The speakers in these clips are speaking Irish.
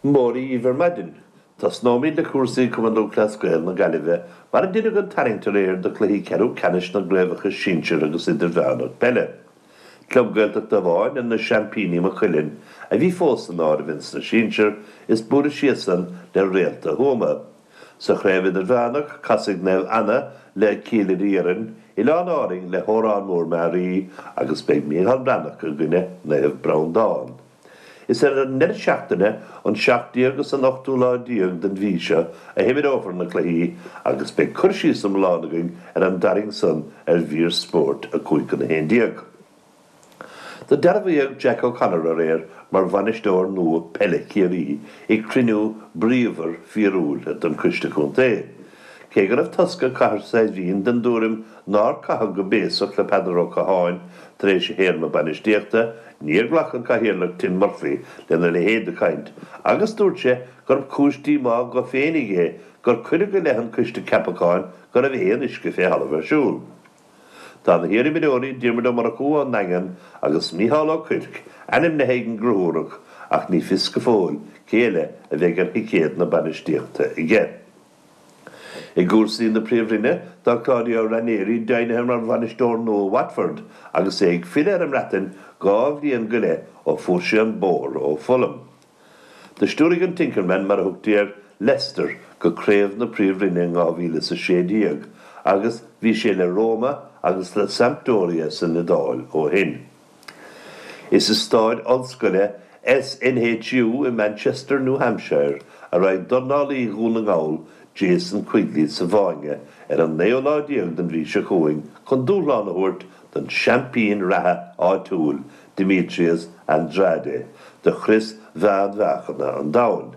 Mora dhíbh ar maidin. Tosnóimid le cúrsaí Cumann Lúthchleas Gael na Gaillimhe mar a deineadh an tarraingt aréir do chluichí ceathrú ceannais na gcraobhacha sinsir agus idirmheánach peile. Club Gaeltachta amháin ar na seaimpíní Maigh Cuilinn a bhí fós san áireamh ins na sinsir is buaileadh síos san le Réalta Thuama. Sa chraobh idirmheánach, casfaidh Naomh Anna le Cill Iarainn, Oileáin Árainn le hÓrán Mór Meáraí agus beidh Micheál Breathnach i gcoinne Naomh Breandán. Is ar an ndeireadh seachtaine, an 17 agus an ochtú lá déag den mhí seo a himreofar na cluichí agus beidh cur síos iomlán againn ar an dtarraingt san ar mhír spóirt 5-11. Do dearbhaíodh Jack O'Connor aréir mar bhainisteoir nua peile Chiarraí ag cruinniú bríomhar fíorúil den Choiste Contae. Cé go raibh tosca Chathair Saidhbhín den dtuairim nár caitheadh go béasach le Peadar Ó Catháin tar éis a théarma bainistíochta, níor ghlac an Cathaoirleach Tim Murphy lena leithéid de chaint agus dúirt sé gurb cúis díomá dho féinig é gur cuireadh i leith an Coiste Ceapacháin go raibh aon uisce fé thalamh ar siúl. Tá na hiarimreoirí Diarmuid Ó Murchú ón nDaingean agus Micheál Ó Cuirc ainmnithe ag an gConradh ach ní fios go fóill cé eile a bheidh ar thicéad na bainistíochta aige. I gcúrsaí na Príomhroinne, tá Claudio Ranieri deimhnithe mar bhainisteoir nua Watford agus é ag filleadh ar an mBreatain 2 bhliain go leith ó fuair sé an bóthar ó Fulham. Do stiúraigh an Tinkerman, mar a thugtaí air, Leicester go craobh na Príomhroinne in 2016 agus bhí sé le Roma agus le Sampdoria san Iodáil ó shin. Is i staid ollscoile SNHU i Manchester, New Hampshire a raghaidh dornálaí Dhún na nGall Jason Quigley sa bhfáinne ar an naoú lá déag den mhí seo chugainn chun dúshlán a thabhairt don seaimpín reatha áitiúil Demetrius Andrade do chrios mheánmheáchana an domhain.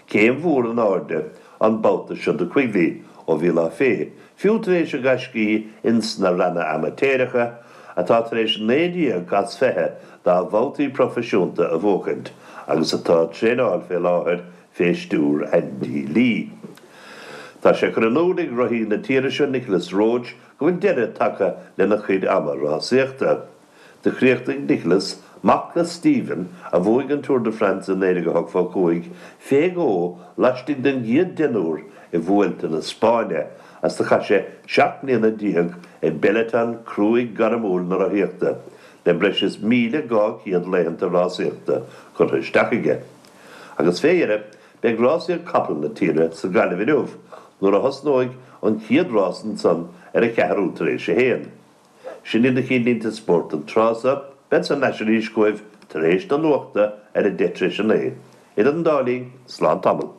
Céim mhór in airde an babhta seo do Quigley ó bhí lá fé, fiú tar éis a ghaiscí ins na ranna amaitéireacha, atá tar éis 19 as 20 dá bhabhtaí proifisiúnta a bhuachaint agus atá ag traenáil fé láthair fé stiúr Andy Lee. Tá sé curtha in iúl ag rothaí na tíre seo Nicolas Roche go bhfuil deireadh tagtha lena chuid ama rásaíochta. Do chríochnaigh Nicolas, mac le Stephen, a bhuaigh an Tour de France i 1985, fé dhó laistigh den gcéad deichniúr i Vuelta na Spáinne, agus do chaith sé 17 mbliana i bpeloton cruaidh gairmiúil na rothaíochta, le breis is 1,200 laethanta rásaíochta curtha isteach aige. Agus fé dheireadh, beidh rásaíocht capall na tíre sa Ghaillimh inniu, nuair a thosnóidh an chéad rás ansan ar a cheathrú tar éis a haon. Sin iad na cinnlínte spóirt don tráth so. Bead thar n-ais arís chugaibh tar éis na nuachta ar a 9:10. Idir an dá linn, slán tamall.